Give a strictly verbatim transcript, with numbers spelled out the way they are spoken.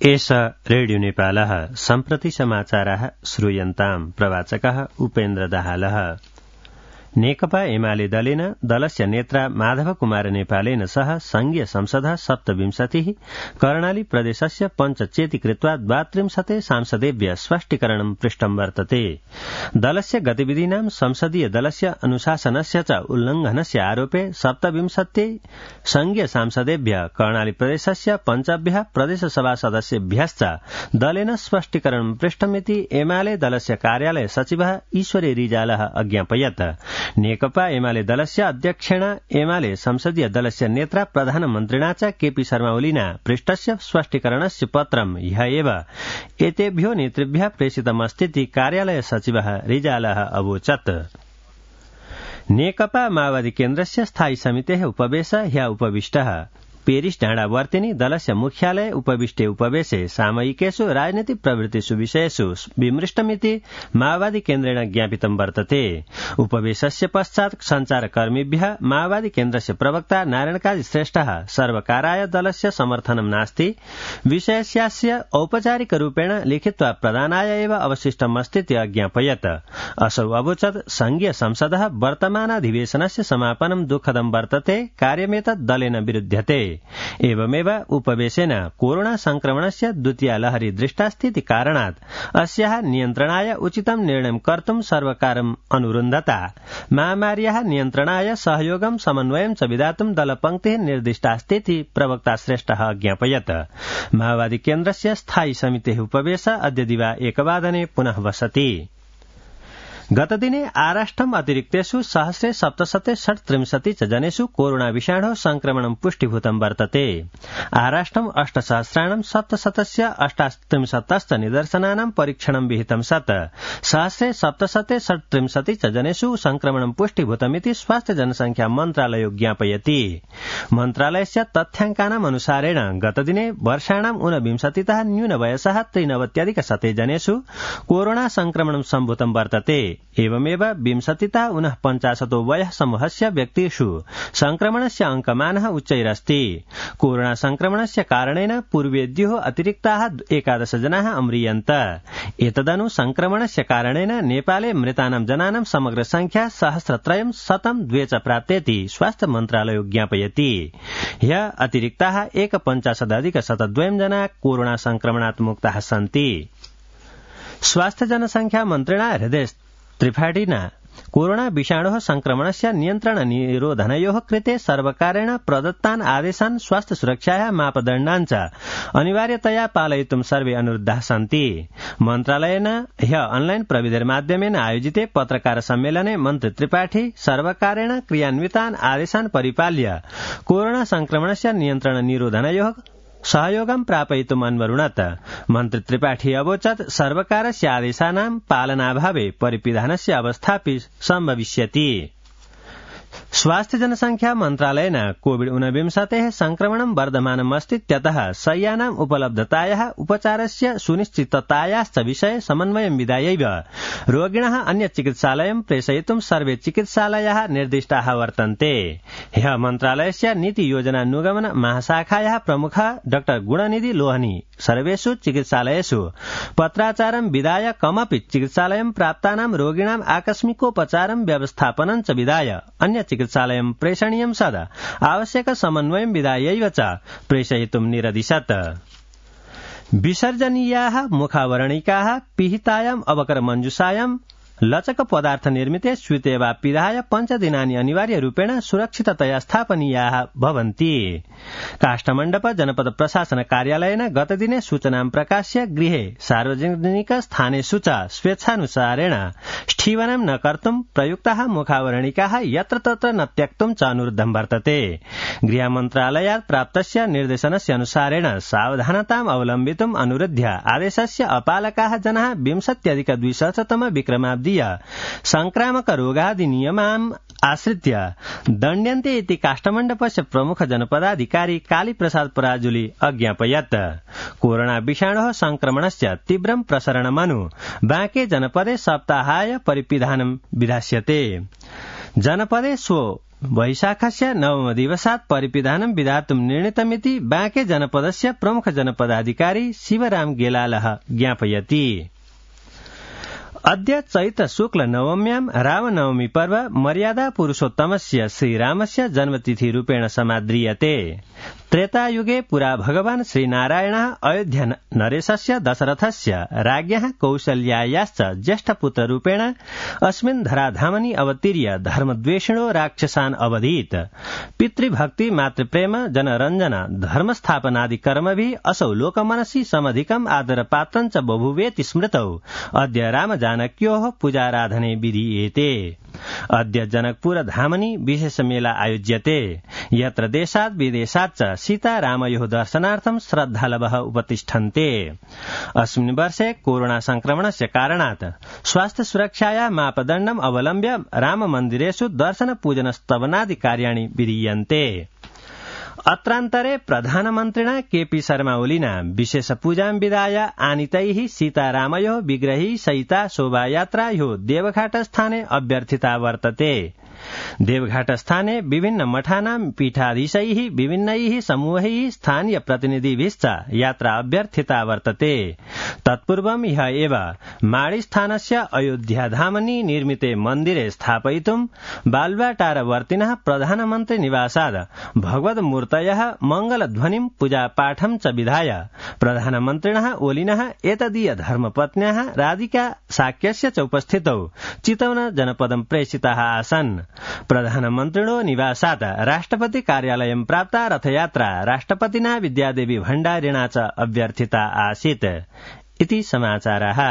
एष रेडियो नेपालः सम्प्रति समाचाराः श्रूयन्ताम् प्रवाचकः उपेन्द्र दाहालः। नेकपा एमाले दलेन दलस्य नेत्रा माधव कुमार नेपालेन सह संघीय संसदः सप्तविंशतिः कर्णाली प्रदेशस्य पञ्चचेति कृत्वा द्वात्रिंशते सांसदेभ्य स्पष्टीकरणं पृष्टं वर्तते। दलस्य गतिविधीनां संसदीय दलस्य अनुशासनस्य च उल्लंघनस्य आरोपे सप्तविंशति संघीय सांसदेभ्य कर्णाली प्रदेशस्य पञ्चभ्यः प्रदेशसभा सदस्येभ्यश्च दलेन स्पष्टीकरणं पृष्टमिति एमाले दलस्य कार्यालय सचिवः ईश्वरी रिजालः अज्ञापयत्। नेकपा एमाले दलस्य अध्यक्षेण एमाले संसदीय दलस्य नेत्रा प्रधानमन्त्रिणा च केपी शर्मा ओलीना पृष्टस्य स्पष्टीकरणस्य पत्रं ह्य एव एतेभ्यो नेतृभ्यः प्रेषितमस्तीति कार्यालय सचिवः रिजालः अवोचत्। नेकपा माओवादी केन्द्रस्य स्थायी समितेः उपवेश ह्य उपविष्टः। पेरिस डाँडावर्तिनी दलस्य मुख्यालय उपविष्टे उपवेशे सामयिकेषु राजनीतिक प्रवृत्तिषु विषयेषु विमृष्टमिति माओवादी केन्द्रेण ज्ञापितं वर्तते। उपवेशस्य पश्चात् संचारकर्मीभ्यः माओवादी केन्द्रस्य प्रवक्ता नारायणकाजी श्रेष्ठः सर्वकाराय दलस्य समर्थनं नास्ति, विषयस्यास्य औपचारिक रूपेण लिखित्वा प्रदानाय एव अवशिष्टमस्तीति अज्ञापयत्। असौ अवोचत् संघीय संसदः वर्तमानाधिवेशनस्य समापनं दुःखदं वर्तते, कार्यमेतत् दलेन विरुध्यते। एवमेव उपवेशेन कोरोना संक्रमणस्य द्वितीया लहरी दृष्टास्तीति कारणात् अस्याः नियन्त्रणाय उचितं निर्णयं कर्तुं सर्वकारम् अनुरुन्धता। महामार्याः नियन्त्रणाय सहयोगं समन्वयं च विधातुं दलपङ्क्तिः निर्दिष्टास्तीति प्रवक्ता श्रेष्ठः अज्ञापयत्। माओवादी केन्द्रस्य स्थायी समितेः उपवेश अद्य दिवा एकवादने पुनः वसति। गतदिने आराष्ट्रम् अतिरिक्तेषु सहस्रे सप्तशते षट्त्रिंशति च जनेषु कोरोना विषाणोः संक्रमणं पुष्टिभूतं वर्तते। आराष्ट्रम् अष्टसहस्राणां सप्तशतस्य अष्टात्रिंशतश्च निदर्शनानां परीक्षणं विहितं सत् सहस्रे सप्तशते षट्त्रिंशति च जनेषु संक्रमणं पुष्टिभूतमिति स्वास्थ्य जनसंख्या मन्त्रालयो ज्ञापयति। मन्त्रालयस्य तथ्याङ्कानाम् अनुसारेण गतदिने वर्षाणाम् ऊनविंशतितः न्यूनवयसः त्रिनवत्यधिकशते जनेषु कोरोना संक्रमणं सम्भूतं वर्तते। एवमेव विंशतितः ऊनः पञ्चाशतो वयः समूहस्य व्यक्तिषु संक्रमणस्य अंकमानः उच्चैरस्ति। कोरोना संक्रमणस्य कारणेन पूर्वेद्युः अतिरिक्ताः एकादश जनाः अम्रियन्त। एतदनु संक्रमणस्य कारणेन नेपाले मृतानां जनानां समग्र संख्या सहस्रत्रयं शतं द्वे च प्राप्तेति स्वास्थ्य मन्त्रालयो ज्ञापयति। ह्य अतिरिक्ताः एकपञ्चाशदधिक शतद्वयं जना कोरोना संक्रमणात् मुक्ताः सन्ति। स्वास्थ्य जनसंख्या मन्त्रिणा हृदय त्रिपाठिना कोरोना विषाणोः संक्रमणस्य नियन्त्रण निरोधनयोः कृते सर्वकारेण प्रदत्तान् आदेशान् स्वास्थ्य सुरक्षायाः मापदण्डान् च अनिवार्यतया पालयितुं सर्वे अनुरुद्धाः सन्ति। मन्त्रालयेन ह्य ऑनलाइन प्रविधिर्माध्यमेन आयोजिते पत्रकार सम्मेलने मन्त्री त्रिपाठी सर्वकारेण क्रियान्वितान् आदेशान् परिपाल्य कोरोना संक्रमणस्य नियन्त्रण निरोधनयोः सहयोगं प्रापयितुम् अन्वरुणत। मन्त्री त्रिपाठी अवोचत् सर्वकारस्य आदेशानां पालनाभावे परिपिधानस्य अवस्थापि सम्भविष्यति। स्वास्थ्य जनसंख्या मन्त्रालयेन कोविड ऊनविंशतेः संक्रमणं वर्धमानम् अस्तीत्यतः शय्यानाम् उपलब्धतायाः उपचारस्य सुनिश्चिततायाश्च विषये समन्वयं विधायैव रोगिणः अन्य चिकित्सालयं प्रेषयितुं सर्वे चिकित्सालयाः निर्दिष्टाः वर्तन्ते। ह्यः मन्त्रालयस्य नीति योजनानुगमन महाशाखायाः प्रमुखः डॉ गुणनिधि लोहनी सर्वेषु चिकित्सालयेषु पत्राचारं विधाय कमपि चिकित्सालयं प्राप्तानां रोगिणाम् आकस्मिकोपचारं व्यवस्थापनं च विधाय अन्य चिकित्सालयं प्रेषणीयं सदा आवश्यक समन्वयं विधायैव च प्रेषयितुं निरदिशत्। विसर्जनीयाः मुखावरणिकाः पिहितायाम् अवकरमञ्जुषायां लचक पदार्थ निर्मिते स्यूते वा पिधाय पञ्चदिनानि अनिवार्य रूपेण सुरक्षिततया स्थापनीयाः भवन्ति। काष्ठमण्डप जनपद प्रशासन कार्यालयेन गतदिने सूचनां प्रकाश्य गृहे सार्वजनिक स्थानेषु च स्वेच्छानुसारेण स्थीवनं न कर्तुं प्रयुक्ताः मुखावरणिकाः यत्र तत्र न त्यक्तुं च अनुरुद्धं वर्तते। गृहमन्त्रालयात् प्राप्तस्य निर्देशनस्य अनुसारेण सावधानताम् अवलम्बितुम् अनुरुध्य आदेशस्य अपालकाः जनाः विंशत्यधिक द्विसहस्रतम विक्रमाब्दी संक्रामक रोगादि नियमान् आश्रित्य दण्ड्यन्ते इति काष्ठमण्डपस्य प्रमुख जनपदाधिकारी कालीप्रसाद पराजुली अज्ञापयत्। कोरोना विषाणोः संक्रमणस्य तीव्रं प्रसरणमनु बांके जनपदे सप्ताहाय परिपिधानं विधास्यते। जनपदे स्व वैशाखस्य नवमदिवसात् परिपिधानं विधातुं निर्णीतमिति बाँके जनपदस्य प्रमुख जनपदाधिकारी शिवराम गेलालः ज्ञापयति। अद्य चैत्र शुक्ल नवम्यां रामनवमी पर्व मर्यादा पुरुषोत्तमस्य श्रीरामस्य जन्मतिथि रूपेण समाद्रियते। त्रेतायुगे पुरा भगवान् श्रीनारायणः अयोध्या नरेशस्य दशरथस्य राज्ञः कौसल्यायाश्च ज्येष्ठपुत्ररूपेण अस्मिन् धराधामनि अवतीर्य धर्मद्वेषिणो राक्षसान् अवधीत्। पितृभक्ति मातृप्रेम जनरञ्जन धर्मस्थापनादि कर्मभिः असौ लोकमनसि समधिकम् आदरपात्रं च बभूवेति स्मृतौ अद्य रामजानक्योः पूजाराधने विधीयेते। अद्य जनकपुर धामनि विशेष मेला आयोज्यते, यत्र देशात् विदेशात् च सीतारामयोः दर्शनार्थं श्रद्धालवः उपतिष्ठन्ते। अस्मिन् वर्षे कोरोना संक्रमणस्य कारणात् स्वास्थ्य सुरक्षाया मापदण्डम् अवलम्ब्य राममन्दिरेषु दर्शन पूजन स्तवनादि कार्याणि विधीयन्ते। अत्रान्तरे प्रधानमन्त्रिणा केपी शर्मा ओलिना विशेष पूजां विधाय आनीतैः सीतारामयोः विग्रही सहिता शोभायात्रा ह्यो देवघाट स्थाने अभ्यर्थिता वर्तते। देवघाट स्थाने विभिन्न मठानां पीठाधीशैः विभिन्नैः समूहैः स्थानीय प्रतिनिधिभिश्च यात्रा अभ्यर्थिता वर्तते। तत्पूर्वं ह्यः एव माणिस्थानस्य अयोध्याधामनि निर्मिते मन्दिरे स्थापयितुं बाल्वाटारवर्तिनः प्रधानमन्त्री निवासात् भगवद्मूर्तयः मङ्गलध्वनिं पूजापाठं च विधाय प्रधानमन्त्रिणः ओलिनः एतदीय धर्मपत्न्याः राधिका साक्यस्य च उपस्थितौ चितवन जनपदं प्रेषिताः आसन्। प्रधानमन्त्रिणो निवासात् राष्ट्रपति कार्यालयं प्राप्ता रथयात्रा राष्ट्रपतिना विद्यादेवी भण्डारिणा च अभ्यर्थिता आसीत् इति समाचारः।